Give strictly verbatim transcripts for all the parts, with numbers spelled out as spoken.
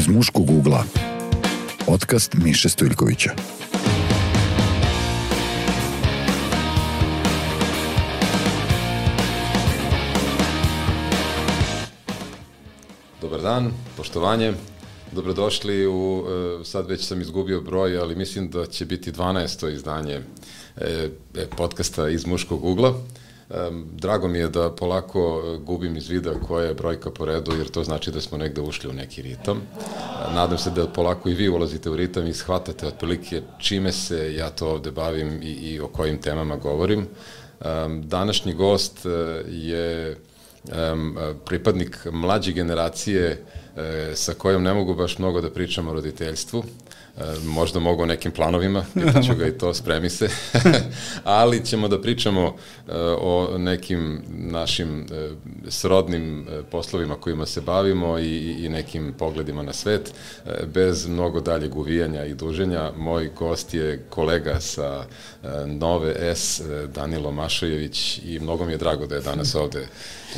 Iz muškog ugla. Podcast Miše Stojljkovića. Dobar dan, poštovanje. Dobrodošli u, sad već sam izgubio broj, ali mislim da će biti dvanaesto izdanje podcasta Iz muškog ugla. Drago mi je da polako gubim iz vida koja je brojka po redu, jer to znači da smo negde ušli u neki ritam. Nadam se da polako i vi ulazite u ritam i shvatate otprilike čime se ja to ovde bavim i, i o kojim temama govorim. Današnji gost je pripadnik mlađe generacije sa kojom ne mogu baš mnogo da pričam o roditeljstvu. Možda mogu o nekim planovima, pitaću ga i to, spremi se, ali ćemo da pričamo o nekim našim srodnim poslovima kojima se bavimo i, i nekim pogledima na svet. Bez mnogo daljeg uvijanja i duženja, moj gost je kolega sa Nove S, Danilo Mašojević, i mnogo mi je drago da je danas ovde.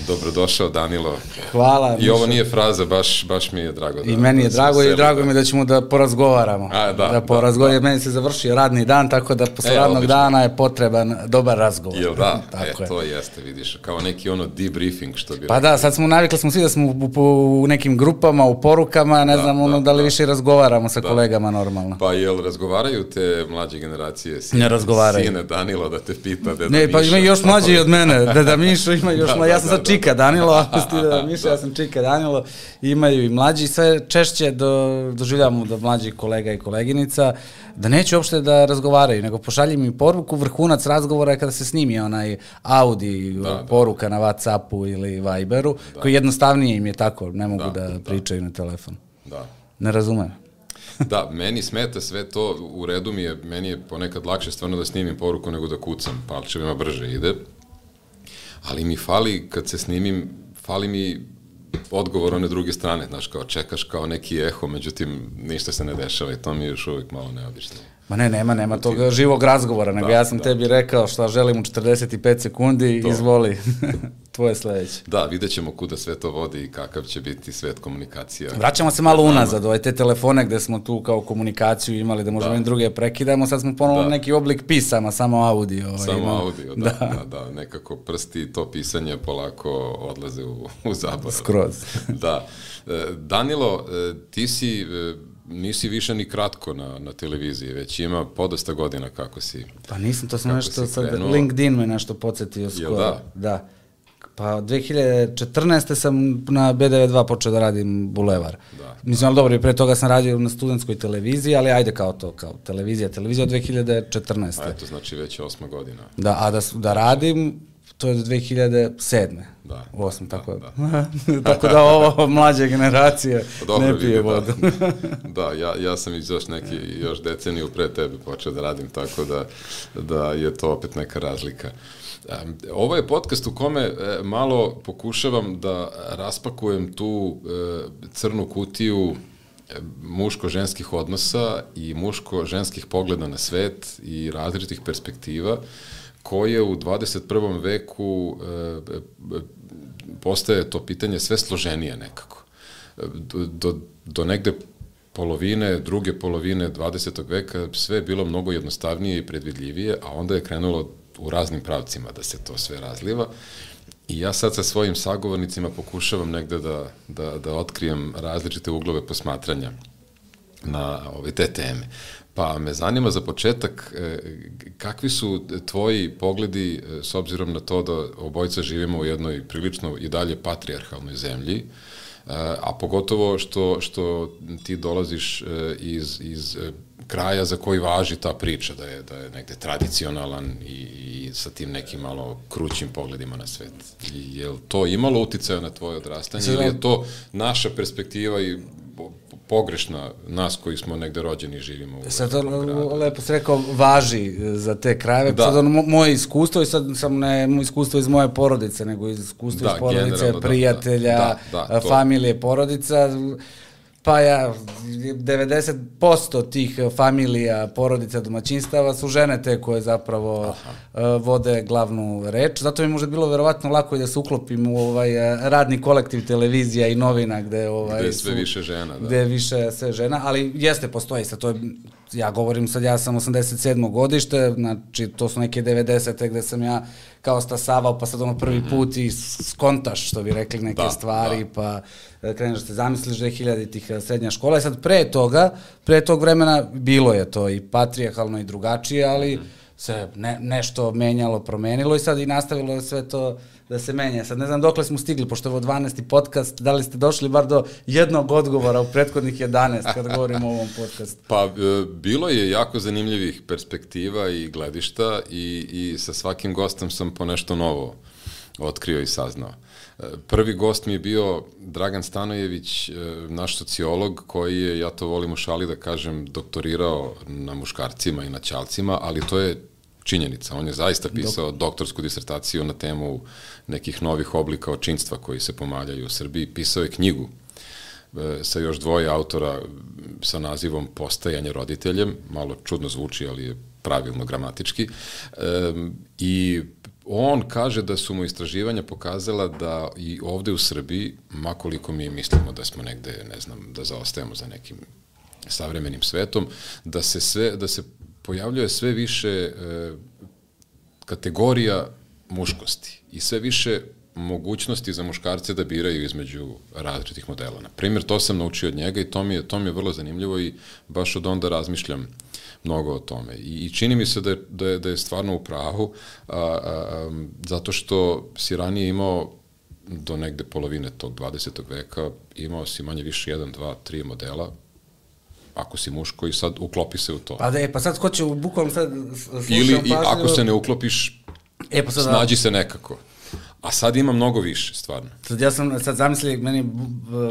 Dobrodošao, Danilo. Hvala. I ovo nije fraza, baš, baš mi je drago. Da, I meni je da drago i drago mi je da ćemo da porazgovaramo. A, da, da porazgovaramo, da, da. Meni se završio radni dan, tako da posle e, radnog odlično. dana je potreban dobar razgovor. Jel da? Tako e, je. To jeste, vidiš, kao neki ono debriefing, što bi... Pa rekli. Da, sad smo navikli, smo svi da smo u, u, u nekim grupama, u porukama, ne da, znam, ono, da, da li da. više razgovaramo sa da. kolegama normalno. Pa jel razgovaraju te mlađe generacije? Sine, ne razgovaraju. Sine Danilo da te pita, deda ne, Miša. Pa ima još mlađi od mene, deda Mišo ima još da, mlađi, ja sam sad čika Danilo, da, Miša, ja sam čika Danilo, imaju i mlađi, sve češće do, doživljavamo do mlađih kolega i koleginica, da neće uopšte da razgovaraju, nego pošalji mi poruku, vrhunac razgovora je kada se snimi onaj Audi da, poruka da. na WhatsAppu ili Viberu, da. koji jednostavnije im je tako, ne mogu da, da pričaju da. na telefon. Da. Ne razumem. Da, meni smeta sve to, u redu mi je, meni je ponekad lakše stvarno da snimim poruku nego da kucam, palčevima brže ide, ali mi fali, kad se snimim, fali mi odgovor one druge strane, znaš, kao čekaš kao neki eho, međutim, ništa se ne dešava i to mi je još uvijek malo neobično. Ma ne, nema, nema tog živog razgovora, nego da, ja sam da. tebi rekao šta želim u četrdeset pet sekundi, to. izvoli, tvoje sledeće. Da, vidjet ćemo kuda sve to vodi i kakav će biti svet komunikacija. Vraćamo se malo unazad, ovaj te telefone gde smo tu kao komunikaciju imali da možemo da. i druge prekidamo, sad smo ponovno da. neki oblik pisama, samo audio. Ovaj, samo imamo. audio, da, da, da, da, nekako prsti i to pisanje polako odlaze u, u zaborav. Skroz. Da. Danilo, ti si... nisi više ni kratko na, na televiziji, već ima podosta godina kako si. Pa nisam, to sam nešto, sad LinkedIn me nešto podsjetio skoro. Da? Da. Pa dve hiljade četrnaeste sam na B D V dva počeo da radim Bulevar. Da, mislim, ali dobro, i pre toga sam radio na studentskoj televiziji, ali ajde kao to, kao televizija, televizija od dve hiljade četrnaeste. A eto, znači već je osma godina. Da, a da, da radim, to je do dve hiljade sedme. Da. Osam, tako da. da. Tako da ovo mlađe generacije dobro, ne pije vodu. Da, da ja, ja sam iz još neki, još deceniju pre tebe počeo da radim, tako da, da je to opet neka razlika. Ovo je podcast u kome malo pokušavam da raspakujem tu crnu kutiju muško-ženskih odnosa i muško-ženskih pogleda na svet i različitih perspektiva, koje u dvadeset prvom veku e, postaje to pitanje sve složenije nekako. Do, do, do negde polovine, druge polovine dvadesetog veka sve je bilo mnogo jednostavnije i predvidljivije, a onda je krenulo u raznim pravcima da se to sve razliva. I ja sad sa svojim sagovornicima pokušavam negde da, da, da otkrijem različite uglove posmatranja na ove te teme. Pa me zanima za početak, kakvi su tvoji pogledi s obzirom na to da obojica živimo u jednoj prilično i dalje patrijarhalnoj zemlji, a pogotovo što, što ti dolaziš iz, iz kraja za koji važi ta priča, da je, da je negde tradicionalan i, i sa tim nekim malo krućim pogledima na svet. I je li to imalo uticaja na tvoje odrastanje ili je to naša perspektiva i pogrešna, nas koji smo negde rođeni i živimo u sad to lepo se rekao, važi za te krajeve. Da. Sad ono, moje iskustvo, i sad sam ne iskustvo iz moje porodice, nego iz iskustva da, iz porodice, prijatelja, da, da, da, familije, porodica. Pa ja, devedeset posto tih familija, porodica, domaćinstava su žene te koje zapravo uh, vode glavnu reč. Zato mi možda bilo verovatno lako i da se uklopim u ovaj radni kolektiv televizija i novina gde, ovaj, gde je sve su, više žena. Da. Gde je više sve žena, ali jeste, postoji sad, to je, ja govorim sad, ja sam osamdeset sedmo godište, znači to su neke devedesete gde sam ja kao stasavao, pa sad ono prvi put i skontaš, što bi rekli, neke da, stvari, da. pa kreneš da se zamisliš da je hiljaditih srednja škola. I sad pre toga, pre tog vremena bilo je to i patrijarhalno i drugačije, ali se ne, nešto menjalo, promenilo i sad i nastavilo je sve to da se menja. Sad ne znam dokle smo stigli, pošto je ovo dvanaesti podcast, da li ste došli bar do jednog odgovora u prethodnih jedanaest kada govorimo o ovom podcastu? Pa, bilo je jako zanimljivih perspektiva i gledišta i, i sa svakim gostom sam po nešto novo otkrio i saznao. Prvi gost mi je bio Dragan Stanojević, naš sociolog, koji je, ja to volim u šali da kažem, doktorirao na muškarcima i na ćalcima, ali to je činjenica. On je zaista pisao Dok. doktorsku disertaciju na temu nekih novih oblika očinstva koji se pomaljaju u Srbiji. Pisao je knjigu sa još dvoje autora sa nazivom Postajanje roditeljem. Malo čudno zvuči, ali je pravilno gramatički. I on kaže da su mu istraživanja pokazala da i ovde u Srbiji, makoliko mi mislimo da smo negde, ne znam, da zaostajemo za nekim savremenim svetom, da se sve, da se pojavljuje sve više e, kategorija muškosti i sve više mogućnosti za muškarce da biraju između različitih modela. Na primjer, to sam naučio od njega i to mi je, to mi je vrlo zanimljivo i baš od onda razmišljam mnogo o tome. I, i čini mi se da je, da je, da je stvarno u pravu, a, a, a, zato što si ranije imao do negde polovine tog dvadesetog veka, imao si manje više jedan, dva, tri modela, ako si muško i sad uklopi se u to. Pa da je, pa sad ko će bukvalno sad slušam Ili pažljivo. i ako se ne uklopiš, e, pa sad, snađi se nekako. A sad ima mnogo više, stvarno. Sad ja sam sad zamislio, meni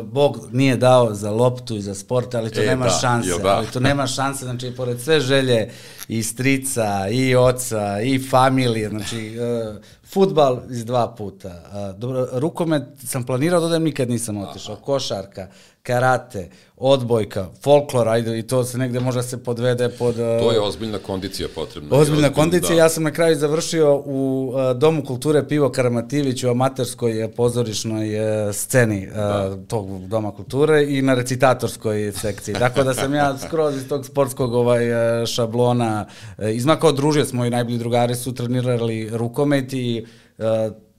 Bog nije dao za loptu i za sport, ali to e, nema da, šanse. Da. Ali to nema šanse, znači, pored sve želje i strica, i oca, i familije, znači, uh, fudbal iz dva puta. Uh, dobro, rukomet sam planirao da odem, nikad nisam otišao. Košarka, karate, odbojka, folklor, ajde, i to se negde možda se podvede pod... Uh, to je ozbiljna kondicija potrebna. Ozbiljna ozbiljna kondicija, da. Ja sam na kraju završio u uh, Domu kulture Pivo Karamativić u amaterskoj pozorišnoj uh, sceni uh, da. tog Doma kulture i na recitatorskoj sekciji. Dakle, da sam ja skroz iz tog sportskog ovaj, šablona uh, izmakao, družio smo i najbolji drugari su trenirali rukomet i uh,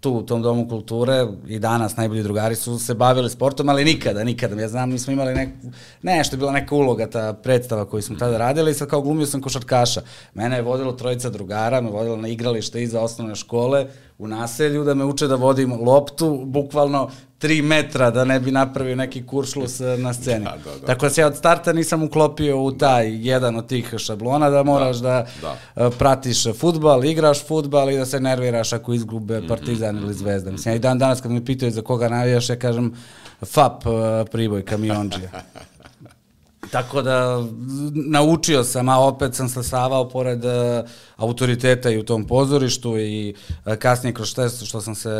tu u tom Domu kulture i danas najbolji drugari su se bavili sportom, ali nikada, nikada. Ja znam, mi smo imali neku, nešto je bila neka uloga, ta predstava koju smo tada radili i sad kao glumio sam košarkaša. Mene je vodilo trojica drugara, me vodilo na igralište iza osnovne škole u naselju da me uče da vodim loptu, bukvalno tri metra da ne bi napravio neki kuršlus na sceni. Da, da, da. Tako da se ja od starta nisam uklopio u taj jedan od tih šablona da moraš da, da, da. pratiš fudbal, igraš fudbal i da se nerviraš ako izgube Partizan mm-hmm. ili Zvezda. Mislim, ja i dan danas kad me pitaju za koga navijaš, ja kažem F A P Priboj, Kamionđija. Tako da naučio sam, a opet sam stasavao pored uh, autoriteta i u tom pozorištu i uh, kasnije kroz što, što sam se,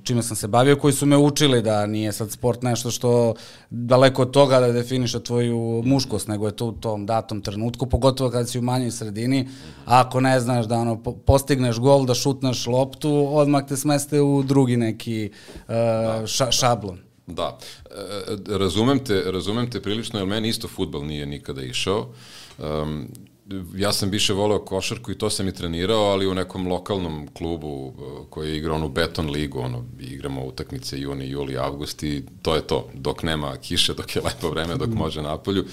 čime sam se bavio, koji su me učili da nije sad sport nešto što daleko od toga da definiše tvoju muškost, nego je to u tom datom trenutku, pogotovo kada si u manjoj sredini, a ako ne znaš da ono, postigneš gol, da šutneš loptu, odmah te smeste u drugi neki uh, ša, šablon. Da, e, razumem te, razumem te prilično, jer meni isto fudbal nije nikada išao. Um, ja sam više voleo košarku i to sam i trenirao, ali u nekom lokalnom klubu koji je igrao onu beton ligu, ono, igramo utakmice juni, juli, avgust i to je to, dok nema kiše, dok je lepo vreme, dok može napolju,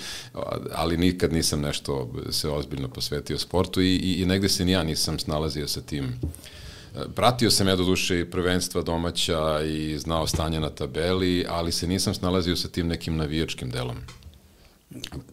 ali nikad nisam nešto se ozbiljno posvetio sportu i, i, i negde se ni ja nisam snalazio sa tim. Pratio sam ja do duše i prvenstva domaća i znao stanje na tabeli, ali se nisam snalazio sa tim nekim navijačkim delom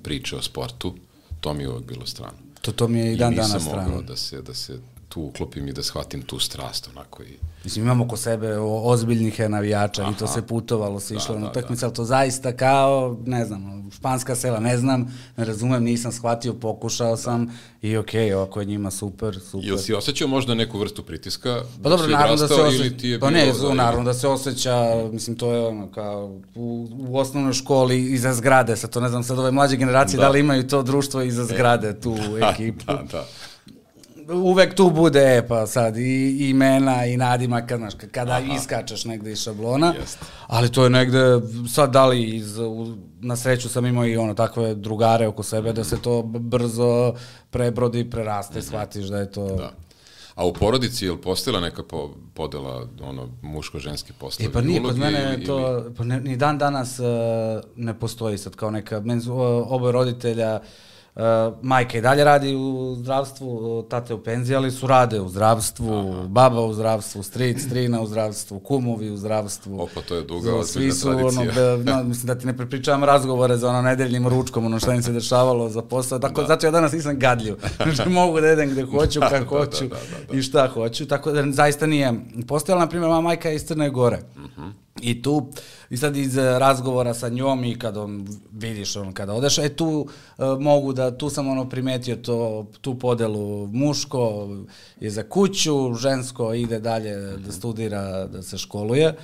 priče o sportu. To mi je uvek bilo strano. To, to mi je i dan danas strano. I nisam mogao da se, da se tu uklopim i da shvatim tu strast, onako i... Mislim, imamo oko sebe ozbiljnih navijača. Aha. I to se putovalo, se išlo da, na utakmice, ali to zaista kao, ne znam, španska sela, ne znam, ne razumem, nisam shvatio, pokušao sam da. I okej, okay, ovako je njima super, super. Jel si osjećao možda neku vrstu pritiska? Pa dobro, naravno da se osjeća, pa ne, da, naravno da se osjeća, mislim, to je ono, kao u, u osnovnoj školi iza zgrade, sad to ne znam, sad ove mlađe generacije, da, da li imaju to društvo iza zgrade, tu ekipu. Da, da. Uvek tu bude, e, pa sad, i imena, i nadimak, znaš, kada Aha. iskačeš negde iz šablona, Jest. ali to je negde, sad da li iz, u, na sreću sam imao i ono, takve drugare oko sebe, mm-hmm. da se to brzo prebrodi, preraste, mm-hmm. shvatiš da je to... Da. A u porodici je li postojala neka po, podela, ono, muško-ženski postavi? E, pa nije, kod mene ili, to, ili... pa ne, ni dan danas uh, ne postoji sad kao neka, men, oboje roditelja, Uh, majka i dalje radi u zdravstvu, tate u penziji, ali su rade u zdravstvu, Aha. baba u zdravstvu, stric, strina u zdravstvu, kumovi u zdravstvu. Opa, to je duga ozbiljna tradicija. Ono, be, no, mislim da ti ne prepričavam razgovore za ono nedeljnim ručkom, ono šta im se dešavalo za posao, tako, da. Zato ja danas nisam gadljiv. Znači mogu da jedem gde hoću, kako da, hoću da, da, da, da. i šta hoću, tako da zaista nije. Postojala, na primjer, moja majka je iz Crne Gore. Uh-huh. I tu, i sad iz razgovora sa njom i kad on, vidiš on kada odeš, e tu uh, mogu da, tu sam ono primetio to, tu podelu, muško je za kuću, žensko ide dalje da studira, da se školuje.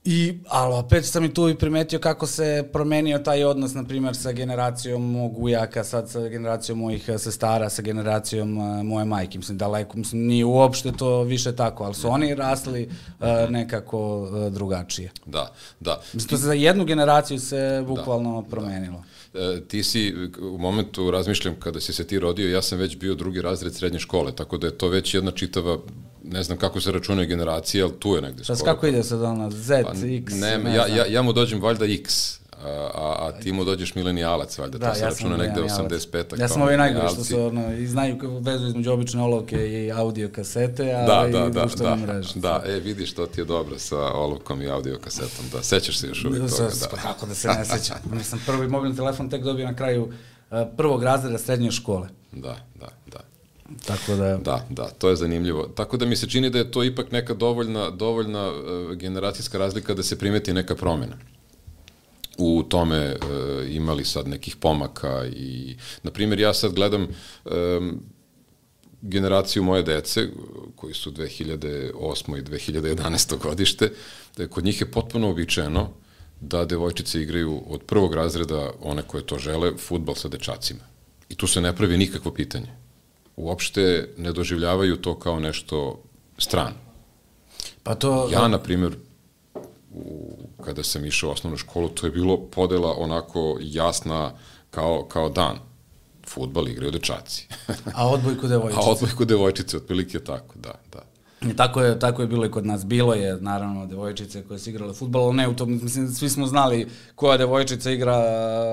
I, ali opet sam i tu i primetio kako se promenio taj odnos, na primjer, sa generacijom mog ujaka, sad sa generacijom mojih sestara, sa generacijom uh, moje majke. Mislim, daleko, mislim, nije uopšte to više tako, ali su oni rasli uh, nekako uh, drugačije. Da, da. Mislim, to se za jednu generaciju se bukvalno da, promenilo. Da. E, ti si, u momentu razmišljam, kada si se ti rodio, ja sam već bio drugi razred srednje škole, tako da je to već jedna čitava, ne znam kako se računaju generacije, ali tu je negde skoro. Pa kako ide sad ona, Z, pa, X? Ne, ne ja, ja, ja mu dođem valjda X, a, a ti mu dođeš milenijalac, valjda, da, to se ja računa negde osamdeset peta. Ja sam ovi najgori što su, ono, i znaju vezu između obične olovke i audio kasete, a da, i da, društvene da, mreže. Da, e, vidiš, to ti je dobro sa olovkom i audio kasetom, da, sećaš se još uvijek toga, da. Kako da se ne sećam, nisam prvi mobilni telefon tek dobio na kraju uh, prvog razreda srednje škole. Da, da, da. Tako da... Da, da, to je zanimljivo. Tako da mi se čini da je to ipak neka dovoljna, dovoljna uh, generacijska razlika da se primeti neka promjena. U tome uh, imali sad nekih pomaka i, na primjer, ja sad gledam um, generaciju moje dece, koji su dve hiljade osme i dve hiljade jedanaeste godište, da kod njih je potpuno običajeno da devojčice igraju od prvog razreda, one koje to žele, fudbal sa dečacima. I tu se ne pravi nikakvo pitanje. Uopšte ne doživljavaju to kao nešto strano. Pa to... Ja, na primjer, u, kada sam išao u osnovnu školu, to je bilo podela onako jasna kao, kao dan. Fudbal igraju dečaci. A odbojku devojčice. A odbojku devojčice, otprilike tako, da, da. I tako je, tako je bilo i kod nas. Bilo je, naravno, devojčice koje su igrale fudbal, ali ne u tom, mislim, svi smo znali koja devojčica igra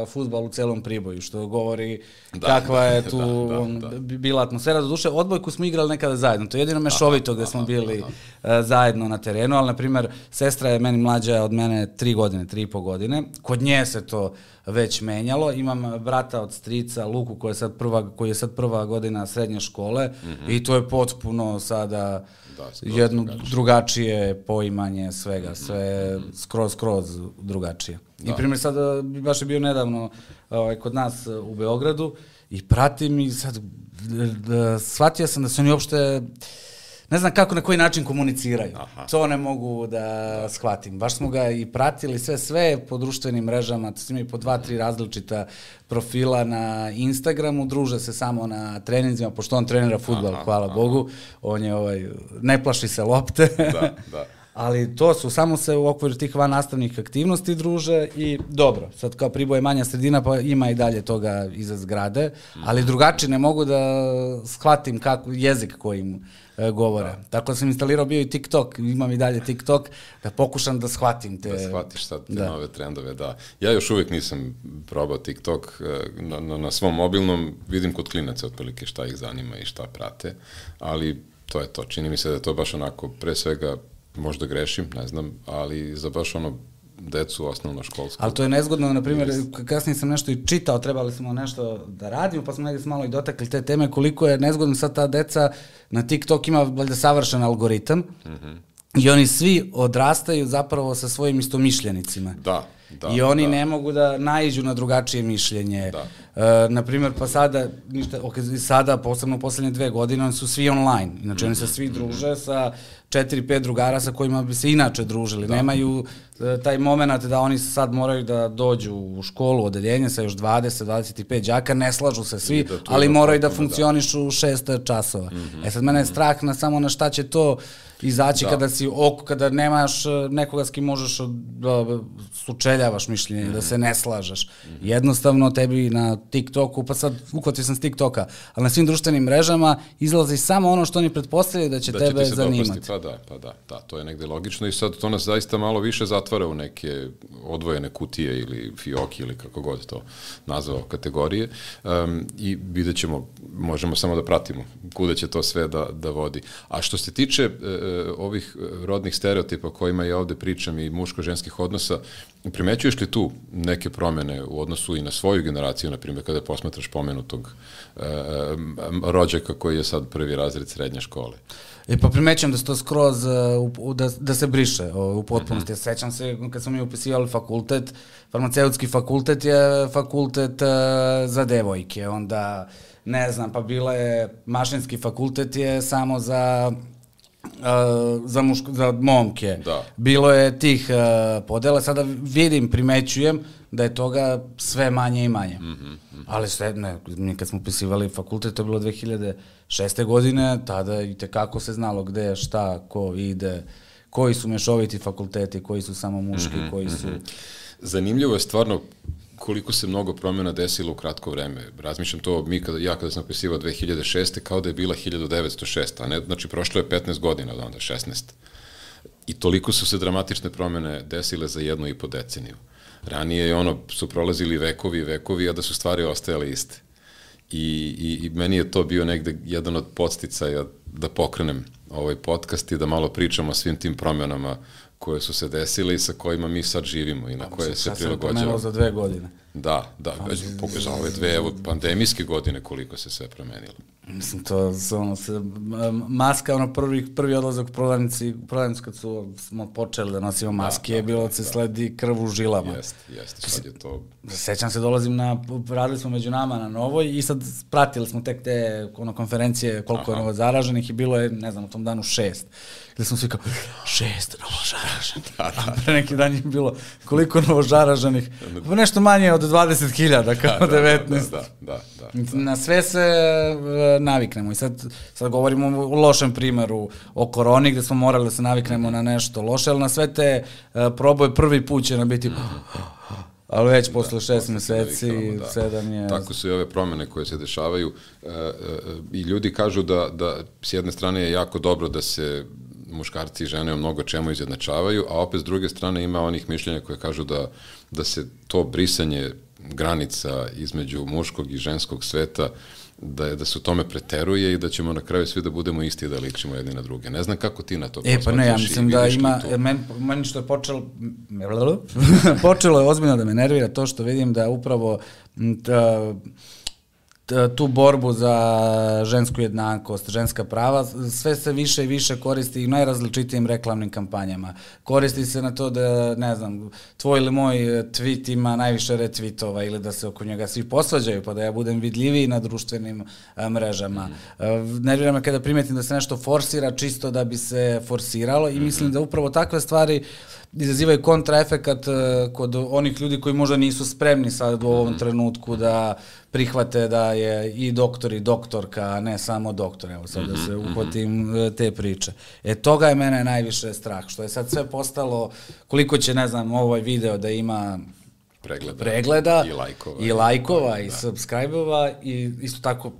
fudbal u celom Priboju, što govori da, kakva je tu da, da, on, da. bila atmosfera. Do duše, odbojku smo igrali nekada zajedno, to je jedino mešovito gde smo bili aha. zajedno na terenu, ali, na primjer, sestra je meni mlađa od mene tri godine, tri i po godine, kod nje se to već menjalo. Imam brata od strica, Luku, koji je sad prva, koji je sad prva godina srednje škole mm-hmm. i to je potpuno sada da, jedno drugačije. drugačije poimanje svega, sve mm-hmm. skroz, skroz drugačije. Da. I primjer sad, baš je bio nedavno ovaj, kod nas u Beogradu i pratim i sad da, shvatio sam da su oni uopšte ne znam kako, na koji način komuniciraju. Aha. To ne mogu da, da shvatim. Baš smo ga i pratili sve, sve po društvenim mrežama, to su imaju po dva, tri različita profila na Instagramu, druže se samo na treninzima, pošto on trenira fudbal, aha, hvala aha. Bogu, on je ovaj, ne plaši se lopte. Da, da. Ali to su, samo se u okviru tih van nastavnih aktivnosti druže i dobro, sad kao Priboj je manja sredina, pa ima i dalje toga iza zgrade, ali drugačije ne mogu da shvatim kako, jezik kojim e, govore. Da. Tako da sam instalirao bio i TikTok, imam i dalje TikTok, da pokušam da shvatim te... Da shvatiš sad te da. nove trendove, da. Ja još uvijek nisam probao TikTok, na, na, na svom mobilnom vidim kod klinaca otprilike šta ih zanima i šta prate, ali to je to, čini mi se da je to baš onako, pre svega, možda grešim, ne znam, ali za baš ono decu osnovnoškolsku. Ali to je nezgodno, na primjer, kasnije sam nešto i čitao, trebali smo nešto da radimo, pa smo negdje malo i dotakli te teme, koliko je nezgodno sad ta deca, na TikTok ima valjda savršen algoritam, mm-hmm. i oni svi odrastaju zapravo sa svojim istomišljenicima. Da. Da, I oni da. ne mogu da naiđu na drugačije mišljenje. Da. E, naprimjer, pa sada, ništa, okay, sada, posebno u poslednje dve godine, oni su svi online. Znači, oni se svi druže sa četiri, pet drugara sa kojima bi se inače družili. Da. Nemaju e, taj moment da oni sad moraju da dođu u školu, odeljenje sa još dvadeset, dvadeset pet đaka, ne slažu se svi, ali moraju da funkcionišu da. šest časova. Mm-hmm. E sad, mene je strah na samo na šta će to izaći da. kada si oko, kada nemaš nekoga s kim možeš da sučeljavaš mišljenje, mm-hmm. da se ne slažeš. Mm-hmm. Jednostavno tebi na TikToku, pa sad uhvatio sam s TikToka, ali na svim društvenim mrežama izlazi samo ono što oni pretpostavljaju da će da tebe će zanimati. Pa da, pa da, da, to je negde logično i sad to nas zaista malo više zatvara u neke odvojene kutije ili fioki ili kako god to nazvao kategorije um, i vidjet ćemo, možemo samo da pratimo kuda će to sve da, da vodi. A što se tiče uh, ovih rodnih stereotipa o kojima ja ovde pričam i muško-ženskih odnosa, primećuješ li tu neke promene u odnosu i na svoju generaciju, na primjer, kada posmatraš pomenutog e, rođaka koji je sad prvi razred srednje škole? E pa primećujem da se to skroz, uh, da, da se briše uh, u potpunosti. Mm-hmm. Sećam se kad smo mi upisivali fakultet, farmaceutski fakultet je fakultet uh, za devojke, onda ne znam, pa bila je mašinski fakultet je samo za Uh, za, muško, za momke. Da. Bilo je tih uh, podela, sada vidim, primećujem da je toga sve manje i manje. Mm-hmm, mm-hmm. Ali sve, ne, mi kad smo upisivali fakultet, to je bilo dve hiljade šeste. godine, tada i tekako se znalo gde, šta, ko ide, koji su mešoviti fakulteti, koji su samo muški, mm-hmm, koji su... Mm-hmm. Zanimljivo je stvarno koliko se mnogo promjena desilo u kratko vreme. Razmišljam to, mi kada, ja kada sam upisivao dve hiljade šeste. kao da je bila hiljadu devetsto šesta. a ne, znači prošlo je petnaest godina od onda, šesnaest. I toliko su se dramatične promjene desile za jednu i po deceniju. Ranije je ono, su prolazili vekovi i vekovi, a da su stvari ostajale iste. I, i, i meni je to bio negde jedan od podsticaja da pokrenem ovaj podcast i da malo pričamo o svim tim promjenama koje su se desile i sa kojima mi sad živimo i na pa, koje se prilagođavamo. Pomenuo za dve godine. Da, da, za ove dve evo, pandemijske godine koliko se sve promenilo. Mislim, to ono, se, maska, ono, prvi, prvi odlazak u prodavnici, prodavnici kad su, smo počeli da nosimo maske, da, je bilo da se da. sledi krv u žilama. Jeste, jeste, sad je to... Sećam se, dolazim na, radili smo među nama na Novoj i sad pratili smo tek te ono, konferencije koliko Aha. je novo zaraženih i bilo je, ne znam, u tom danu šest. Gde smo svi kao, šest novožaraženih. Da, da. A pre neki dan je bilo koliko novožaraženih, pa nešto manje od dvadeset hiljada, kao da, devetnaest. Da, da, da, da, da. Na sve se naviknemo i sad, sad govorimo o lošem primeru o koroni gde smo morali da se naviknemo mm-hmm. na nešto loše, ali na sve te uh, proboje prvi put će nam biti mm-hmm. ali već da, posle šest meseci, da. sedam je... Tako su i ove promene koje se dešavaju uh, uh, i ljudi kažu da, da s jedne strane je jako dobro da se muškarci i žene u mnogo čemu izjednačavaju, a opet s druge strane ima onih mišljenja koje kažu da, da se to brisanje granica između muškog i ženskog sveta da je da se u tome preteruje i da ćemo na kraju svi da budemo isti i da ličimo jedni na druge. Ne znam kako ti na to posmatraš. E pa ne, ja mislim da ima, meni, meni što je počelo, počelo je ozbiljno da me nervira to što vidim da upravo ta, tu borbu za žensku jednakost, ženska prava, sve se više i više koristi i najrazličitijim reklamnim kampanjama. Koristi se na to da, ne znam, tvoj ili moj tweet ima najviše retvitova ili da se oko njega svi posvađaju, pa da ja budem vidljiviji na društvenim a, mrežama. Mm. Nervira me kada primetim da se nešto forsira čisto da bi se forsiralo i mislim mm-hmm. da upravo takve stvari izazivaju kontraefekat kod onih ljudi koji možda nisu spremni sad u ovom mm-hmm. trenutku da prihvate da je i doktor i doktorka, a ne samo doktor, evo sad mm-hmm. da se uhvatim te priče. E, toga je mene najviše strah, što je sad sve postalo, koliko će, ne znam, ovaj video da ima pregleda, pregleda i lajkova, i, lajkova, i, i subscribe-ova i isto tako...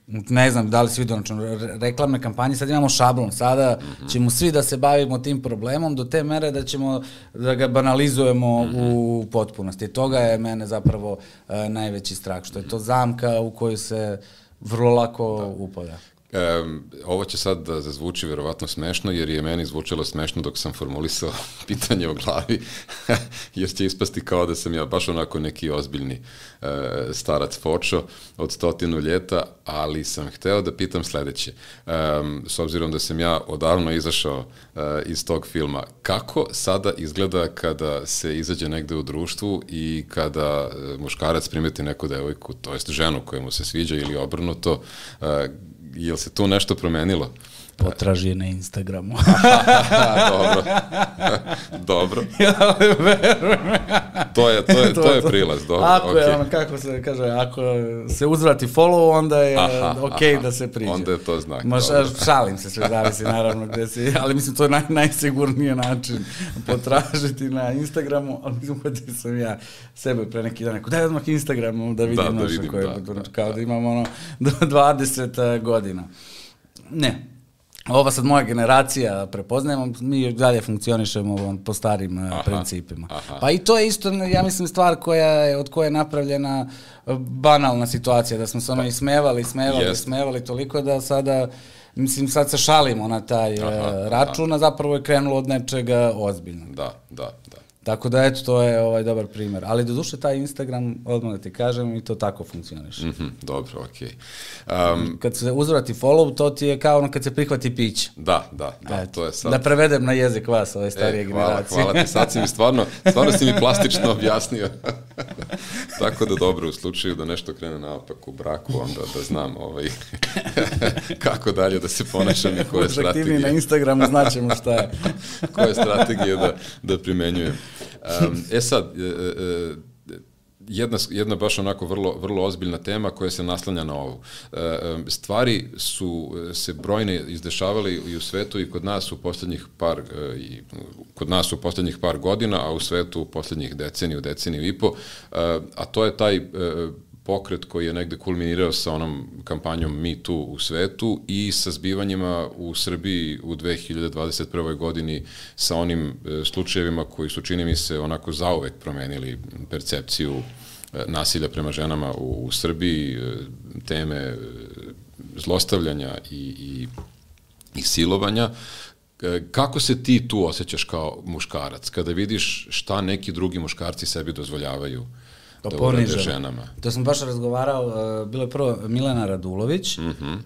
ne znam da li si vidio, znači, reklamne kampanje, sad imamo šablon, sada mm-hmm. ćemo svi da se bavimo tim problemom do te mere da ćemo da ga banalizujemo mm-hmm. u potpunosti. Toga je mene zapravo uh, najveći strah, što je to zamka u koju se vrlo lako da. upada. Um, ovo će sad da zazvuči verovatno smešno, jer je meni zvučalo smešno dok sam formulisao pitanje o glavi, jer će ispasti kao da sam ja baš onako neki ozbiljni uh, starac fočo od stotinu ljeta, ali sam hteo da pitam sledeće. Um, s obzirom da sam ja odavno izašao uh, iz tog filma, kako sada izgleda kada se izađe negde u društvu i kada uh, muškarac primeti neku devojku, to jest ženu koja mu se sviđa ili obrnuto, uh, je li se tu nešto promenilo? Potraži je na Instagramu. Dobro. Dobro. to je, to je, to je prilaz. Dobro. Ako okay. je ono, kako se kaže, ako se uzvrati follow, onda je aha, ok aha. da se priđe. Onda je to znak. Možda, šalim se, sve zavisi naravno gde si, ali mislim to je naj, najsigurniji način potražiti na Instagramu, ali mislim da sam ja sebe pre neki dan, daj odmah Instagramu da vidim, da, da, vidim koje, da, da, kao da, da imam ono dvadeset godina. Ne. Ova sad moja generacija prepoznajemo, mi dalje funkcionišemo po starim aha, principima. Aha. Pa i to je isto, ja mislim, stvar koja je, od koje je napravljena banalna situacija, da smo se ono ismevali, smevali, yes. smevali toliko da sada, mislim, sad se šalimo na taj aha, račun, a zapravo je krenulo od nečega ozbiljnog. Da, da, da. Tako da, eto, to je ovaj dobar primjer. Ali do duše taj Instagram, odmah da ti kažem, i to tako funkcioniš. Mm-hmm, dobro, okej. Okay. Um, kad se uzvrati follow, to ti je kao ono kad se prihvati pić. Da, da, da, eto, to je sad. Da prevedem na jezik vas, ove starije e, hvala, generacije. Hvala ti, sad si mi stvarno, stvarno si mi plastično objasnio. Tako da dobro, u slučaju da nešto krene naopak u braku, onda da znam ovaj, kako dalje da se ponašam i koje strategije. Aktivni na Instagramu, znaćemo šta je. Koje strategije da, da primenjujem. Um, e sad, e, e, jedna, jedna baš onako vrlo, vrlo ozbiljna tema koja se naslanja na ovu. E, stvari su se brojne izdešavale i u svetu i kod nas u poslednjih par, e, i kod nas u poslednjih par godina, a u svetu u poslednjih deceniju, deceniju i po, e, a to je taj e, pokret koji je negde kulminirao sa onom kampanjom Me Too u svetu i sa zbivanjima u Srbiji u dve hiljade dvadeset prvoj godini sa onim e, slučajevima koji su, čini mi se, onako zauvek promenili percepciju e, nasilja prema ženama u, u Srbiji, e, teme e, zlostavljanja i, i, i silovanja. E, kako se ti tu osjećaš kao muškarac, kada vidiš šta neki drugi muškarci sebi dozvoljavaju da urade ženama? To sam baš razgovarao, uh, bilo je prvo Milena Radulović, mm-hmm.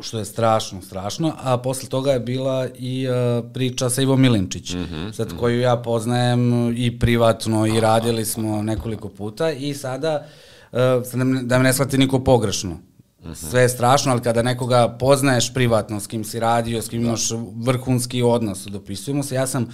što je strašno, strašno, a posle toga je bila i uh, priča sa Ivom Milinčić, mm-hmm. sad mm-hmm. koju ja poznajem i privatno i radili smo nekoliko puta i sada, uh, da me ne shvati niko pogrešno, mm-hmm. sve je strašno, ali kada nekoga poznaješ privatno, s kim si radio, s kim da. imaš vrhunski odnos, dopisujemo se, ja sam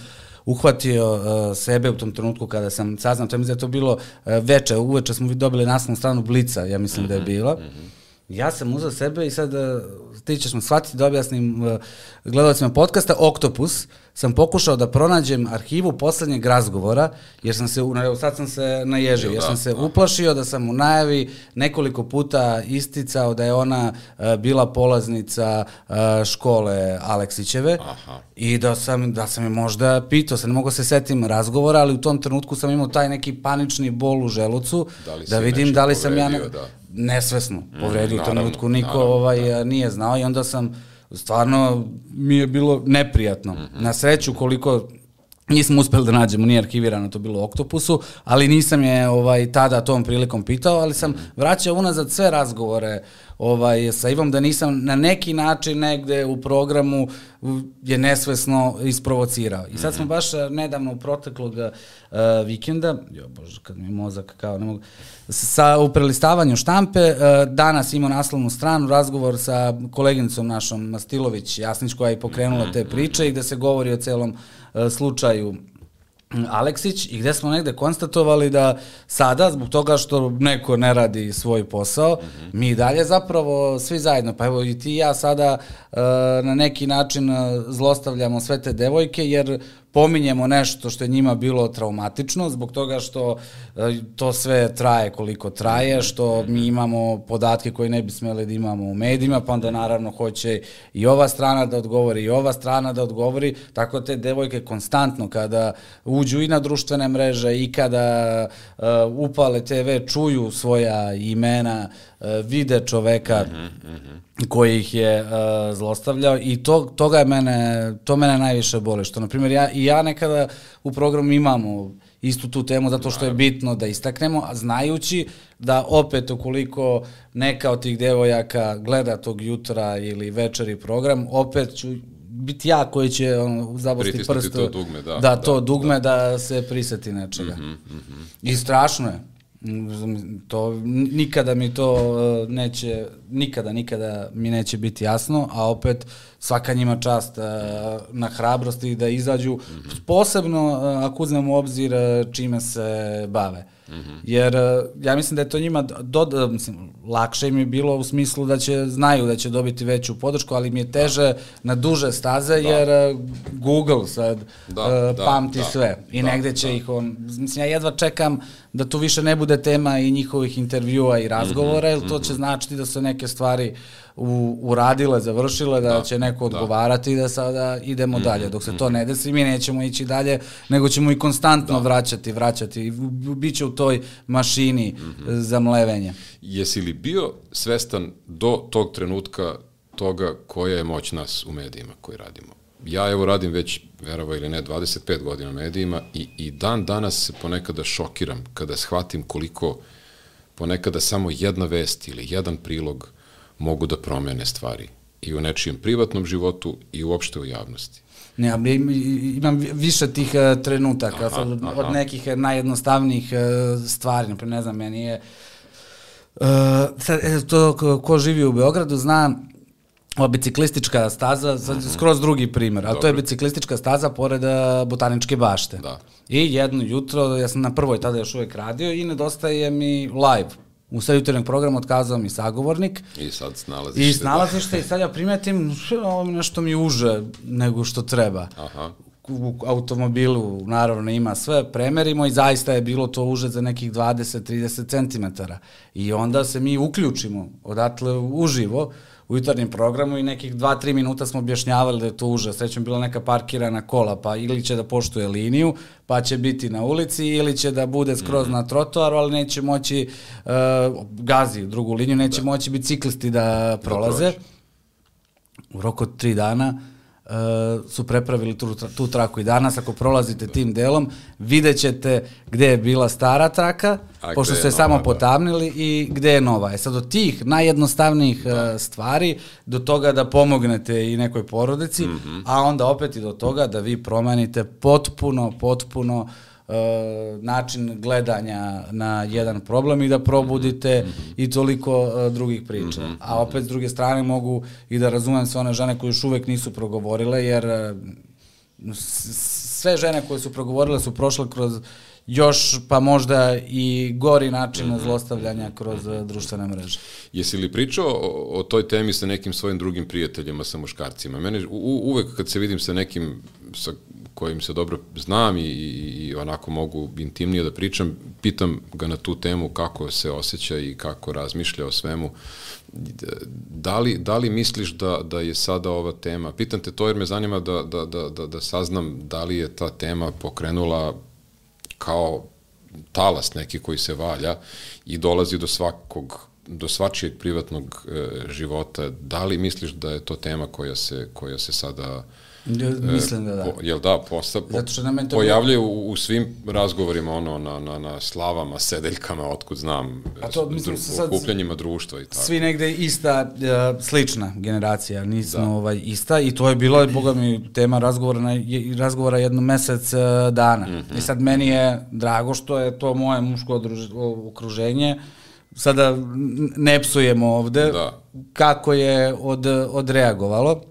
uhvatio uh, sebe u tom trenutku kada sam saznao, to je mi da to bilo uh, veče, uveče smo dobili naslovnu stranu Blica, ja mislim mm-hmm, da je bila. Mm-hmm. Ja sam uzeo sebe i sad uh, ti ćeš me shvatiti da objasnim uh, gledalcima podcasta Oktopus, sam pokušao da pronađem arhivu poslednjeg razgovora, jer sam se, sad sam se naježio, jer sam se uplašio da sam u najavi nekoliko puta isticao da je ona uh, bila polaznica uh, škole Aleksićeve. Aha. I da sam, da sam je možda pitao, sad ne mogu se setim razgovora, ali u tom trenutku sam imao taj neki panični bol u želucu, da, da vidim da li sam ja ne, da. nesvesno povredio, mm, u trenutku niko naravno, ovaj, da. nije znao i onda sam stvarno mi je bilo neprijatno. Mm-hmm. Na sreću koliko nismo uspeli da nađemo, nije arhivirano, to bilo u Oktopusu, ali nisam je ovaj, tada tom prilikom pitao, ali sam mm-hmm. vraćao unazad sve razgovore ovaj, sa Ivom, da nisam na neki način negde u programu je nesvesno isprovocirao. I sad smo baš nedavno u proteklog uh, vikenda, jo bože, kad mi mozak kao ne mogu, sa u prelistavanju štampe, uh, danas imao naslovnu stranu, razgovor sa koleginicom našom Mastilović Jasnić, koja je pokrenula te priče i gde se govori o celom uh, slučaju Aleksić i gde smo negde konstatovali da sada, zbog toga što neko ne radi svoj posao, mm-hmm. mi dalje zapravo svi zajedno, pa evo i ti i ja sada uh, na neki način zlostavljamo sve te devojke, jer pominjemo nešto što je njima bilo traumatično, zbog toga što uh, to sve traje koliko traje, što mi imamo podatke koje ne bi smeli da imamo u medijima, pa onda naravno hoće i ova strana da odgovori, i ova strana da odgovori, tako te devojke konstantno kada uđu i na društvene mreže i kada uh, upale te ve čuju svoja imena uh, vide čoveka koji ih je uh, zlostavljao i to, toga je mene, to mene najviše boli, što na primjer ja, i ja nekada u programu imamo istu tu temu zato što je bitno da istaknemo, a znajući da opet ukoliko neka od tih devojaka gleda tog jutra ili večeri program, opet ću biti ja koji će on, zabosti prst to dugme, da, da, da to da, dugme da. da se priseti nečega. Mm-hmm, mm-hmm. I strašno je. To, nikada mi to neće, nikada, nikada mi neće biti jasno, a opet svaka njima čast na hrabrosti da izađu, mm-hmm. posebno ako uzmemo u obzir čime se bave. Mm-hmm. Jer ja mislim da je to njima do, mislim, lakše im je bilo u smislu da će, znaju da će dobiti veću podršku, ali mi je teže da. na duže staze, da. jer Google sad da, uh, pamti da, sve i da, negde će da. ih on, mislim ja jedva čekam da tu više ne bude tema i njihovih intervjua i razgovora, mm-hmm, jer to će mm-hmm. značiti da su neke stvari u, uradile, završile, da, da će neko odgovarati i da. da sada idemo mm-hmm, dalje. Dok se to ne desi, mi nećemo ići dalje, nego ćemo i konstantno da. vraćati, vraćati i biće u toj mašini mm-hmm. za mlevenje. Jesi li bio svestan do tog trenutka toga koja je moć nas u medijima koji radimo? Ja evo radim već, verovo ili ne, dvadeset pet godina u medijima i, i dan danas se ponekada šokiram kada shvatim koliko ponekada samo jedna vest ili jedan prilog mogu da promene stvari i u nečijem privatnom životu i uopšte u javnosti. Ne, imam više tih uh, trenutaka, aha, od, aha. od nekih najjednostavnijih uh, stvari, naprijed, ne znam, meni je uh, sad, to ko, ko živi u Beogradu zna ova biciklistička staza, sad, mm-hmm. skroz drugi primer, a to je biciklistička staza pored uh, Botaničke bašte. Da. I jedno jutro, ja sam na prvoj tada još uvek radio i nedostaje mi live. U sred jutarnjeg programa otkazao mi sagovornik. I sad snalaziš I snalaziš se i sad ja primetim ovo nešto mi uže nego što treba. Aha. U automobilu naravno ima sve, premerimo i zaista je bilo to uže za nekih dvadeset do trideset centimetara. I onda se mi uključimo odatle uživo u jutarnjem programu i nekih dva do tri minuta smo objašnjavali da je to užas. Srećom bila neka parkirana kola, pa ili će da poštuje liniju, pa će biti na ulici, ili će da bude skroz mm-hmm. na trotoaru, ali neće moći, uh, gazi drugu liniju, neće da. moći biciklisti da prolaze. Da u roku od tri dana Uh, su prepravili tu, tu traku i danas ako prolazite tim delom vidjet ćete gde je bila stara traka, a pošto ste samo potamnili i gde je nova. E sad od tih najjednostavnijih da. uh, stvari do toga da pomognete i nekoj porodici, mm-hmm. a onda opet i do toga da vi promenite potpuno, potpuno Uh, način gledanja na jedan problem i da probudite mm-hmm. i toliko uh, drugih priča. Mm-hmm. A opet s druge strane mogu i da razumem sve one žene koje još uvek nisu progovorile, jer uh, sve žene koje su progovorile su prošle kroz još pa možda i gori način mm-hmm. zlostavljanja kroz uh, društvene mreže. Jesi li pričao o, o toj temi sa nekim svojim drugim prijateljima, sa muškarcima? Mene u, uvek kad se vidim sa nekim sa kojim se dobro znam i, i, i onako mogu intimnije da pričam, pitam ga na tu temu kako se osjeća i kako razmišlja o svemu. Da li, da li misliš da, da je sada ova tema, pitam te to jer me zanima da, da, da, da, da saznam da li je ta tema pokrenula kao talas neki koji se valja i dolazi do svakog, do svačijeg privatnog e, života. Da li misliš da je to tema koja se, koja se sada Mislim da da. Po, jel da, posta, po, pojavljaju u, u svim razgovorima ono, na, na, na slavama, sedeljkama, otkud znam, a to, mislim, dru, okupljanjima društva i tako. Svi negde ista, uh, slična generacija, nismo da. ovaj, ista i to je bilo, boga mi, tema razgovora, na, razgovora jedno mesec uh, dana. Mm-hmm. I sad meni je drago što je to moje muško okruženje, sada ne psujemo ovde, da. kako je od, odreagovalo.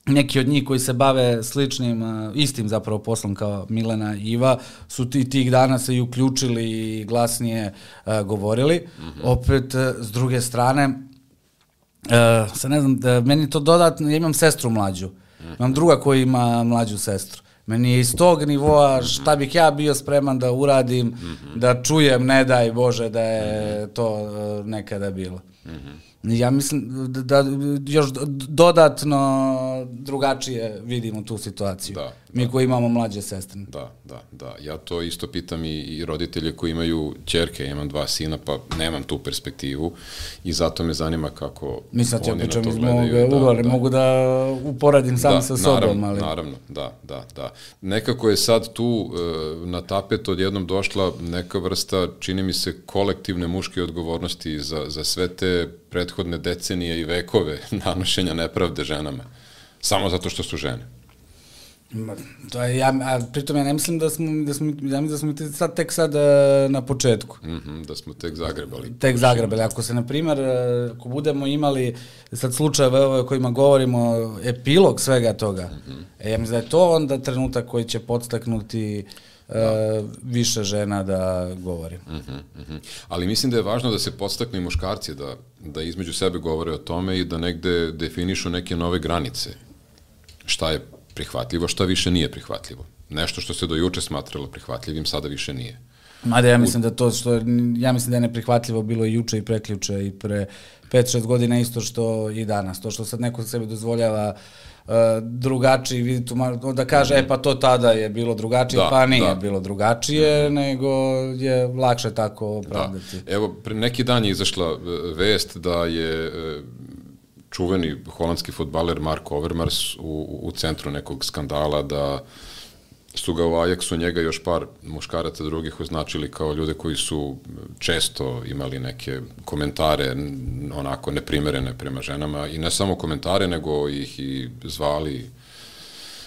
Neki od njih koji se bave sličnim, istim zapravo poslom kao Milena i Iva, su ti, tih dana se i uključili i glasnije uh, govorili. Mm-hmm. Opet, s druge strane, uh, sad ne znam, da, meni to dodatno, ja imam sestru mlađu, mm-hmm. imam druga koja ima mlađu sestru. Meni je iz tog nivoa šta bih ja bio spreman da uradim, mm-hmm. da čujem, ne daj Bože, da je mm-hmm. to uh, nekada bilo. Mm-hmm. Ja mislim da, da još dodatno drugačije vidimo tu situaciju. Da, Mi koji imamo mlađe sestre. Da, da, da. Ja to isto pitam i, i roditelje koji imaju ćerke, ja imam dva sina, pa nemam tu perspektivu i zato me zanima kako Mislim da oni ja pričam na to iz gledaju. mog ugla, da, mogu da uporadim sam da, sa sobom. Naravno, ali... naravno, da, da, da. Nekako je sad tu e, na tapet odjednom došla neka vrsta, čini mi se, kolektivne muške odgovornosti za, za sve te prethodne decenije i vekove nanošenja nepravde ženama. Samo zato što su žene. To je, ja, a pritom ja ne mislim da smo, da smo, ja mislim da smo sad, tek sad na početku. Mm-hmm, da smo tek zagrebali. Tek zagrebali. Ako se, na primjer, ako budemo imali sad slučajeve o kojima govorimo, epilog svega toga, mm-hmm. e, ja mislim da je to onda trenutak koji će podstaknuti uh, više žena da govori. Mm-hmm, mm-hmm. Ali mislim da je važno da se podstaknu i muškarci da, da između sebe govore o tome i da negde definišu neke nove granice. Šta je prihvatljivo, šta više nije prihvatljivo. Nešto što se do juče smatralo prihvatljivim, sada više nije. Mada ja mislim da to što, ja mislim da je neprihvatljivo bilo i juče i preključe i pre pet šest godina isto što i danas. To što sad neko sebi dozvoljava uh, drugačiji, vidi tu, da kaže, mm-hmm. e pa to tada je bilo drugačije, da, pa nije da. bilo drugačije, mm-hmm. nego je lakše tako opravdati. Da. Evo, pre neki dan je izašla vest da je čuveni holandski fudbaler Mark Overmars u, u centru nekog skandala, da su ga u Ajaxu njega još par muškaraca drugih označili kao ljude koji su često imali neke komentare onako neprimerene prema ženama i ne samo komentare, nego ih i zvali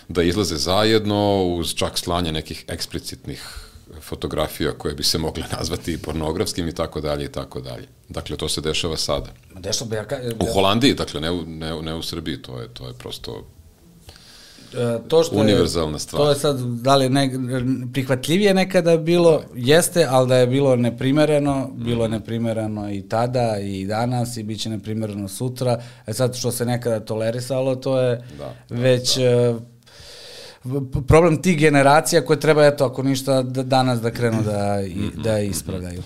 da izlaze zajedno uz čak slanje nekih eksplicitnih fotografija koje bi se mogle nazvati pornografskim i tako dalje i tako dalje. Dakle, to se dešava sada. Dešava, ja ka... U Holandiji, dakle, ne u, ne, ne u Srbiji, to je, to je prosto e, to što univerzalna je, stvar. To je sad, da li ne, prihvatljivije nekada bilo, jeste, ali da je bilo neprimereno, bilo je neprimereno i tada i danas i bit će neprimereno sutra. E sad, što se nekada tolerisalo, to je da, da, već... Da. problem tih generacija koje treba, eto, ako ništa, da danas da krenu da, i, da ispravljaju.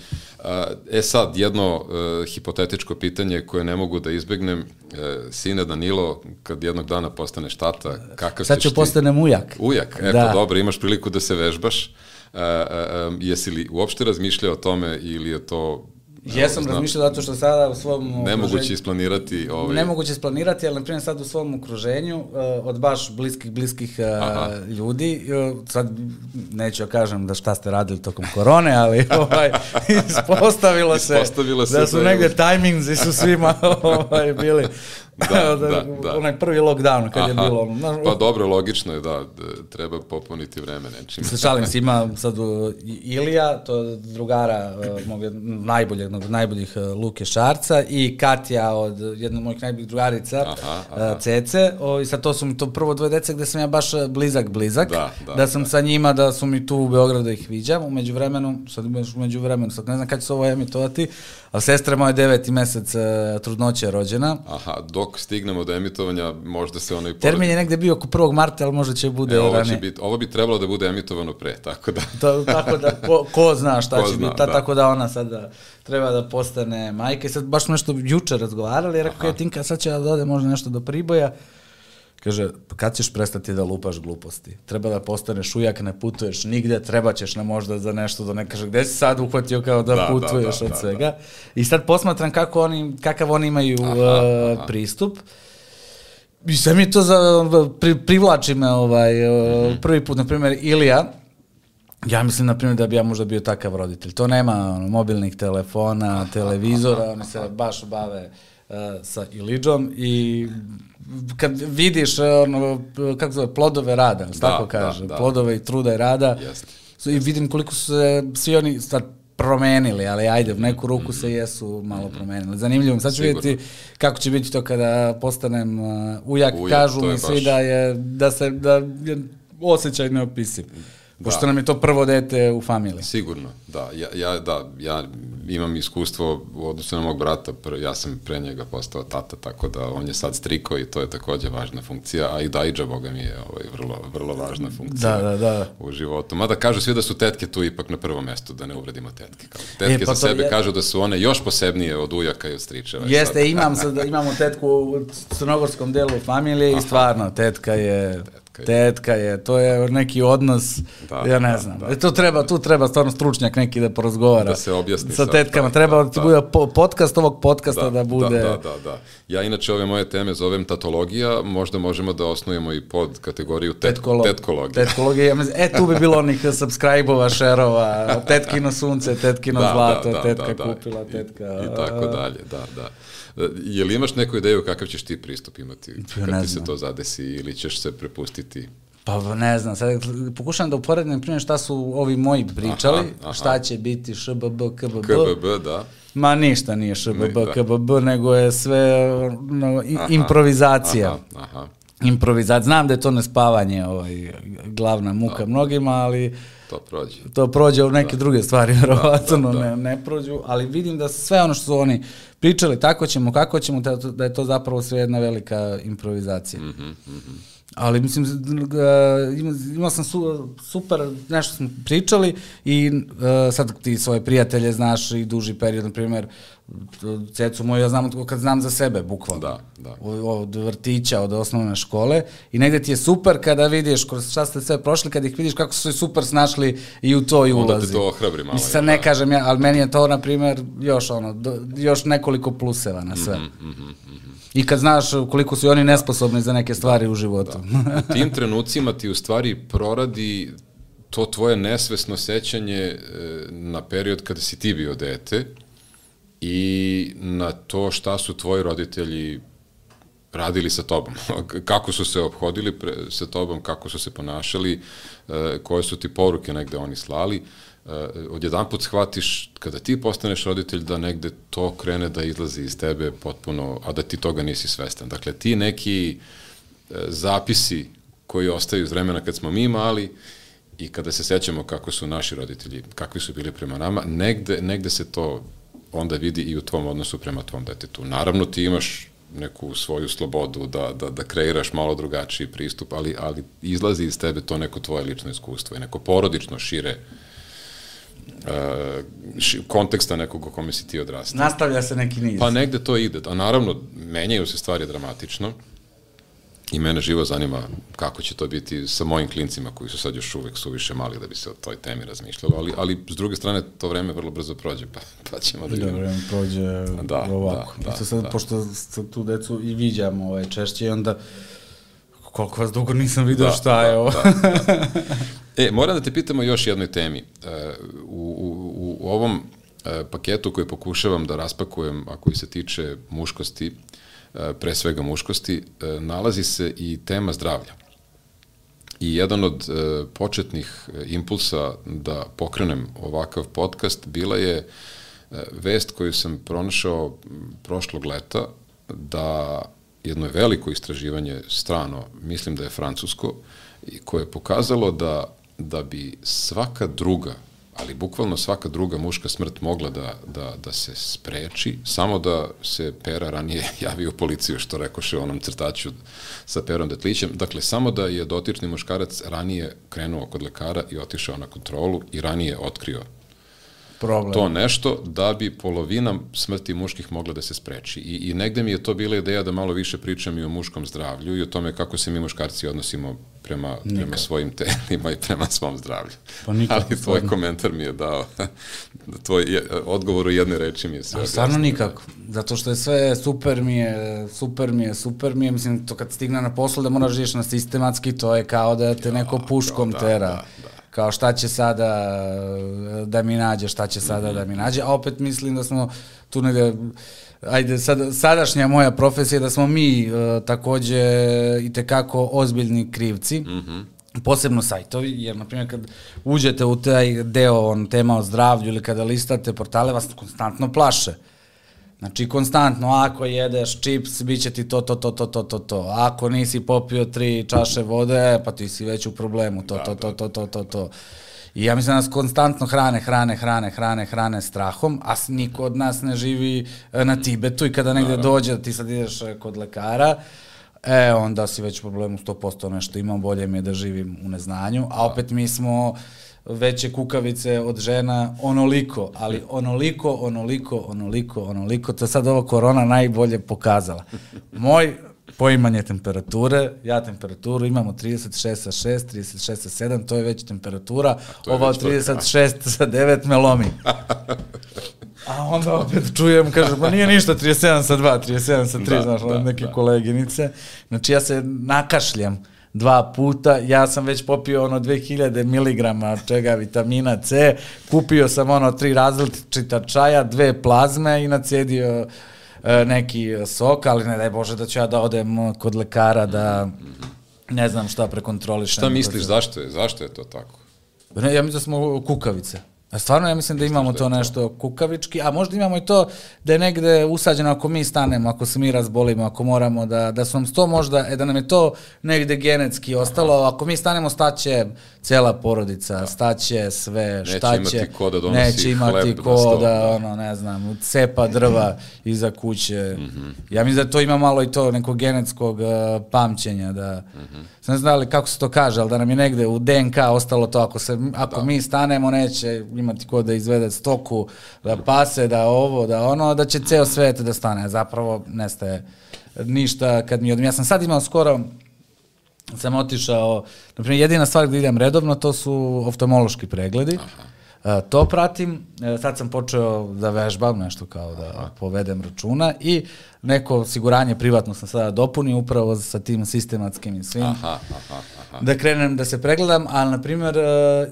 E sad, jedno uh, hipotetičko pitanje koje ne mogu da izbegnem. Uh, sine Danilo, kad jednog dana postaneš tata, kakav sad ćeš ti... Sad ću postanem ujak. Ujak, e da. Pa dobro, imaš priliku da se vežbaš. Uh, uh, um, jesi li uopšte razmišljao o tome ili je to... Jesam razmišljao zato što sada u svom okruženju... Nemoguće isplanirati... Ovaj... Nemoguće isplanirati, ali na primjer sad u svom okruženju uh, od baš bliskih, bliskih uh, ljudi, uh, sad neću ja kažem da šta ste radili tokom korone, ali ovaj, ispostavilo se, ispostavilo se da su da negde je... tajmingzi su svima ovaj, bili... Da, da, da. Onaj prvi lockdown kad Aha, je bilo ono. Pa dobro, logično je da, da treba popuniti vreme nečim. Se šalim se, ima sad Ilija, to je drugara uh, mog najboljeg, jednog od najboljih uh, Luke Šarca i Katja od jednog od mojih najboljih drugarica, aha, aha. Uh, Cece. O, i sad to su mi to prvo dvoje dece gde sam ja baš blizak, blizak. Da, da, da sam da. sa njima, da su mi tu u Beogradu da ih viđam. Umeđu vremenu, sad umeđu vremenu, sad ne znam kada će se ovo emitovati, ali sestra moja deveti mesec uh, trudnoće je rođena. Aha, dok stignemo do emitovanja, možda se ono i... Termin je negde bio oko prvog marta, ali možda će bude... E, ovo, će bit, ovo bi trebalo da bude emitovano pre, tako da... To, tako da, ko, ko zna šta ko će zna, biti, ta, da. Tako da ona sada treba da postane majka. I sad baš smo nešto juče razgovarali, jer rekao je Tinka, sad će da ode možda nešto do Priboja. Kaže, kad ćeš prestati da lupaš gluposti? Treba da postaneš ujak, ne putuješ nigde, treba ćeš na možda za nešto da ne kaže, gde si sad uhvatio kao da, da putuješ da, da, od svega. Da, da. I sad posmatram kako oni, kakav oni imaju aha, uh, aha. pristup. I sad mi to za, pri, privlači me ovaj, mm-hmm. prvi put, na primjer, Ilija, ja mislim, na primjer, da bi ja možda bio takav roditelj. To nema ono, mobilnih telefona, aha, televizora, aha, oni se aha. baš bave uh, sa Ilidžom i kad vidiš ono, kako zove, plodove rada, da, tako kaže, da, da. plodove i truda i rada, Jeste. I vidim koliko su se svi oni sad promenili, ali ajde, u neku ruku mm-hmm. se jesu malo promenili. Zanimljivo, sad ću Sigurno. vidjeti kako će biti to kada postanem uh, ujak, ujak, kažu mi svi baš... da je, da se, da je osjećaj neopisiv. Da. Pošto nam je to prvo dete u familiji. Sigurno, da. Ja, ja, da, ja imam iskustvo u odnosu na mog brata, ja sam pre njega postao tata, tako da on je sad striko i to je takođe važna funkcija, a i Dajđa, boga mi je ovaj, vrlo, vrlo važna funkcija da, da, da. u životu. Mada kažu svi da su tetke tu ipak na prvom mestu, da ne uvredimo tetke. Kao. Tetke e, pa za sebe je... kažu da su one još posebnije od ujaka i od stričeva. Jeste, imam sad, imamo tetku u crnogorskom delu familije i stvarno, tetka je... Tetka tetka je. Tetka je, to je neki odnos, da, ja ne znam. Da, da. To treba, tu treba stvarno stručnjak neki da porazgovara. Da se objasni. Sa tetkama, da, treba da ti bude podcast ovog podcasta da, da bude... Da, da, da, da. Ja inače ove moje teme zovem tatologija, možda možemo da osnujemo i pod kategoriju tet, Tetkolo, tetkologija. Tetkologija, ja mislim, e, tu bi bilo onih subscribe-ova, šerova, tetkino sunce, tetkino da, zlato, da, da, tetka da, da, kupila, tetka... I, i tako dalje, da, da. Je li imaš neku ideju kakav ćeš ti pristup imati kad ti se to zadesi ili ćeš se prepustiti? Pa ne znam, sad pokušam da uporedim primjer šta su ovi moji pričali, aha, aha. Šta će biti š b b k b b. K b b, da. Ma ništa nije š b b k b b, nego je sve no, aha, improvizacija. Aha, aha. Improvizacija. Znam da je to nespavanje ovaj, glavna muka da. Mnogima, ali... To prođe. To prođe u neke da. Druge stvari, vjerovatno da, da, da. Ne, ne prođu, ali vidim da sve ono što su oni pričali, tako ćemo, kako ćemo, da je to zapravo sve jedna velika improvizacija. Mm-hmm, mm-hmm. Ali mislim, imao sam su, super, nešto smo pričali i uh, sad ti svoje prijatelje znaš i duži period, na primjer, cecu moju, ja znam kad znam za sebe, bukvalno. Da, da. Od vrtića, od osnovne škole i negde ti je super kada vidiš kroz šta ste sve prošli, kad ih vidiš kako su se super snašli i u to i ulazi. Onda te to ohrabri malo. Mislim, sad ne kažem ja, ali meni je to, na primjer, još ono, do, još nekoliko pluseva na sve. Mm-hmm, mm-hmm. I kad znaš koliko su i oni nesposobni za neke stvari da, u životu. Da. U tim trenucima ti u stvari proradi to tvoje nesvesno sećanje na period kada si ti bio dete i na to šta su tvoji roditelji radili sa tobom, kako su se ophodili pre, sa tobom, kako su se ponašali, koje su ti poruke negde oni slali. Odjedan put shvatiš kada ti postaneš roditelj da negde to krene da izlazi iz tebe potpuno, a da ti toga nisi svestan. Dakle, ti neki zapisi koji ostaju iz vremena kad smo mi mali i kada se sećamo kako su naši roditelji, kakvi su bili prema nama, negde, negde se to onda vidi i u tvom odnosu prema tvom detetu. Naravno, ti imaš neku svoju slobodu da, da, da kreiraš malo drugačiji pristup, ali, ali izlazi iz tebe to neko tvoje lično iskustvo i neko porodično šire uh, ši, konteksta nekog o kome si ti odrastao. Nastavlja se neki niz. Pa negde to ide. A naravno, menjaju se stvari dramatično i mene živo zanima kako će to biti sa mojim klincima koji su sad još uvek suviše mali da bi se o toj temi razmišljalo, ali, ali s druge strane to vreme vrlo brzo prođe, pa, pa ćemo da vidimo. Da, vreme prođe da, ovako. Da, da, sad, da. Pošto tu decu i viđamo ovaj, češće i onda koliko vas dugo nisam vidio da, šta je ovo. Da, da. E, moram da te pitamo još jednoj temi. U, u, u ovom paketu koji pokušavam da raspakujem, a koji se tiče muškosti, pre svega muškosti, nalazi se i tema zdravlja. I jedan od početnih impulsa da pokrenem ovakav podcast bila je vest koju sam pronašao prošlog leta da jedno veliko istraživanje strano, mislim da je francusko, koje je pokazalo da, da bi svaka druga, ali bukvalno svaka druga muška smrt mogla da, da, da se spreči, samo da se Pera ranije javi u policiju, što rekoše u onom crtaću sa Perom Detlićem. Dakle, samo da je dotični muškarac ranije krenuo kod lekara i otišao na kontrolu i ranije otkrio problem. To nešto, da bi polovina smrti muških mogla da se spreči. I, i negde mi je to bila ideja da malo više pričam i o muškom zdravlju i o tome kako se mi muškarci odnosimo prema, prema svojim telima i prema svom zdravlju. Pa nikako. Ali tvoj komentar mi je dao, tvoj je, odgovor u jedne reči mi je sve. Ali stvarno nikako, zato što je sve super mi je, super mi je, super mi je, mislim, to kad stigne na poslu da moraš žiješ na sistematski, to je kao da te neko puškom tera. Da, da. Kao šta će sada da mi nađe, šta će sada mm-hmm. da mi nađe, a opet mislim da smo tu negde, ajde, sad, sadašnja moja profesija je da smo mi uh, takođe i tekako ozbiljni krivci, mm-hmm. posebno sajtovi, jer na primjer kad uđete u taj deo on, tema o zdravlju ili kada listate portale, vas konstantno plaše. Znači, konstantno, ako jedeš čips, bit će ti to, to, to, to, to, to, to. Ako nisi popio tri čaše vode, pa ti si već u problemu, to, to, to, to, to, to, to. I ja mislim da nas konstantno hrane, hrane, hrane, hrane, hrane strahom, a niko od nas ne živi na Tibetu i kada negde dođe da ti sad ideš kod lekara, e, onda si već u problemu sto posto nešto imam, bolje mi je da živim u neznanju, a opet mi smo veće kukavice od žena onoliko, ali onoliko, onoliko, onoliko, onoliko, to je sad ova korona najbolje pokazala. Moj poimanje temperature, ja temperaturu imamo trideset šest sa šest, trideset šest sa sedam, to je već temperatura, je ova već trideset šest sa devet me lomi. A onda opet čujem, kaže, pa nije ništa, trideset sedam sa dva, trideset sedam sa tri, da, znaš, da, neke da. koleginice. Znači ja se nakašljam dva puta, ja sam već popio ono dve hiljade miligrama čega vitamina C, kupio sam ono tri različita čaja, dve plazme i nacijedio e, neki sok, ali ne daj Bože da ću ja da odem kod lekara da ne znam šta prekontrolišem. Šta misliš, zašto je, zašto je to tako? Ne, ja mislim da smo kukavice. A stvarno ja mislim da imamo to nešto kukavički, a možda imamo i to da je negde usađeno ako mi stanemo, ako se mi razbolimo, ako moramo da, da su nam to možda, e, da nam je to negde genetski ostalo, ako mi stanemo staće cela porodica, staće sve, šta će, neće imati ko da donosi neće imati hleb ko na stol, da, da, ono, ne znam, cepa drva iza kuće. Mm-hmm. Ja mislim da to ima malo i to nekog genetskog uh, pamćenja, da, mm-hmm. ne znam li kako se to kaže, ali da nam je negde u D N K ostalo to, ako, se, ako da. mi stanemo, neće imati ko da izvede stoku, da pase, da ovo, da ono, da će ceo svet da stane. Zapravo nestaje ništa kad mi odem. Ja sam sad imao skoro, sam otišao, naprimjer, jedina stvar gde idem redovno, to su oftalmološki pregledi. Aha. To pratim, sad sam počeo da vežbam, nešto kao da Aha. povedem računa i neko osiguranje privatno sam sada dopunio upravo sa tim sistematskim i svim. Aha, aha, aha. Da krenem da se pregledam, ali na primjer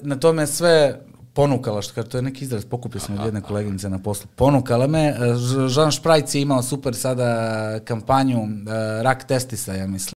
na tome sve ponukala, što kaže, to je neki izraz, pokupio sam od jedne koleginice na poslu, ponukala me, Jean Šprajc je imao super sada kampanju rak testisa, ja mislim.